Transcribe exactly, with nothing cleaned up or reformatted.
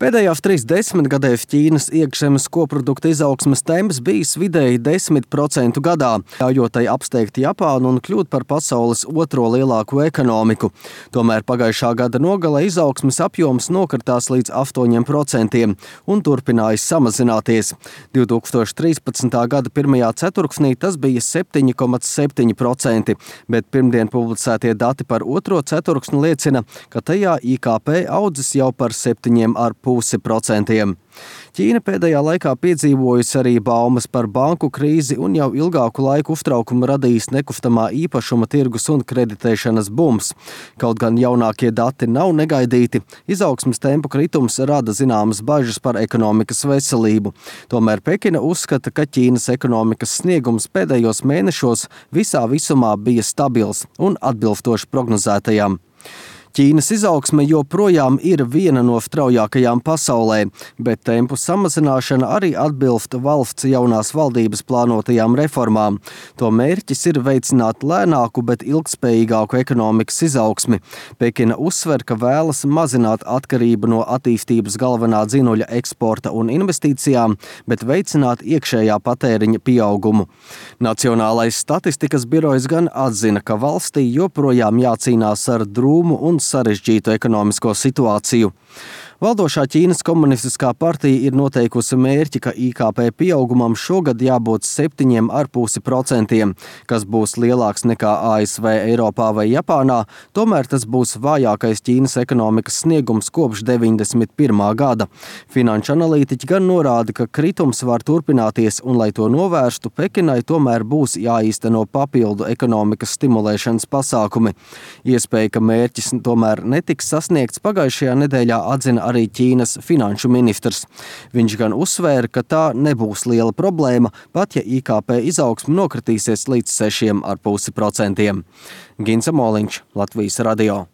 Pēdējās trīs desmitgadēs Ķīnas iekšzemes koprodukta izaugsmes temps bijis vidēji desmit procenti gadā, ļaujot tai apsteigt Japānu un kļūt par pasaules otro lielāko ekonomiku. Tomēr pagājušā gada nogalē izaugsmes apjoms nokritās līdz astoņiem procentiem un turpinājis samazināties. divi tūkstoši trīspadsmitā gada pirmajā ceturksnī tas bija septiņi komats septiņi procenti, bet pirmdien publicētie dati par otro ceturksni liecina, ka tajā I K P audzis jau par septiņiem ar pusi procentiem. Ķīna pēdējā laikā piedzīvojusi arī baumas par banku krīzi un jau ilgāku laiku uztraukumu radījis nekustamā īpašuma tirgus un kreditēšanas bums. Kaut gan jaunākie dati nav negaidīti, izaugsmes tempu kritums rada zināmas bažas par ekonomikas veselību. Tomēr Pekina uzskata, ka Ķīnas ekonomikas sniegums pēdējos mēnešos visā visumā bija stabils un atbilstoši prognozētajām. Ķīnas izaugsme joprojām ir viena no straujākajām pasaulē, bet tempu samazināšana arī atbilst valsts jaunās valdības plānotajām reformām. To mērķis ir veicināt lēnāku, bet ilgspējīgāku ekonomikas izaugsmi. Pekina uzsver, ka vēlas mazināt atkarību no attīstības galvenā dzinuļa eksporta un investīcijām, bet veicināt iekšējā patēriņa pieaugumu. Nacionālais statistikas birojs gan atzina, ka valstī joprojām jācīnās ar drūmu un sarežģītu ekonomisko situāciju. Valdošā Ķīnas komunistiskā partija ir noteikusi mērķi, ka I K P pieaugumam šogad jābūt septiņiem ar pusi procentiem, kas būs lielāks nekā A S V, Eiropā vai Japānā, tomēr tas būs vājākais Ķīnas ekonomikas sniegums kopš deviņdesmit pirmā gada. Finanšu analītiķi gan norāda, ka kritums var turpināties un, lai to novērstu, Pekinai tomēr būs jāīsteno papildu ekonomikas stimulēšanas pasākumi. Iespēja, ka mērķis tomēr netiks sasniegts, pagājušajā nedēļā atzina arī Ķīnas finanšu ministrs. Viņš gan uzsvēra, ka tā nebūs liela problēma, pat ja I K P izaugsme nokritīsies līdz sešiem ar pusi procentiem. Ginsa Moliņš, Latvijas radio.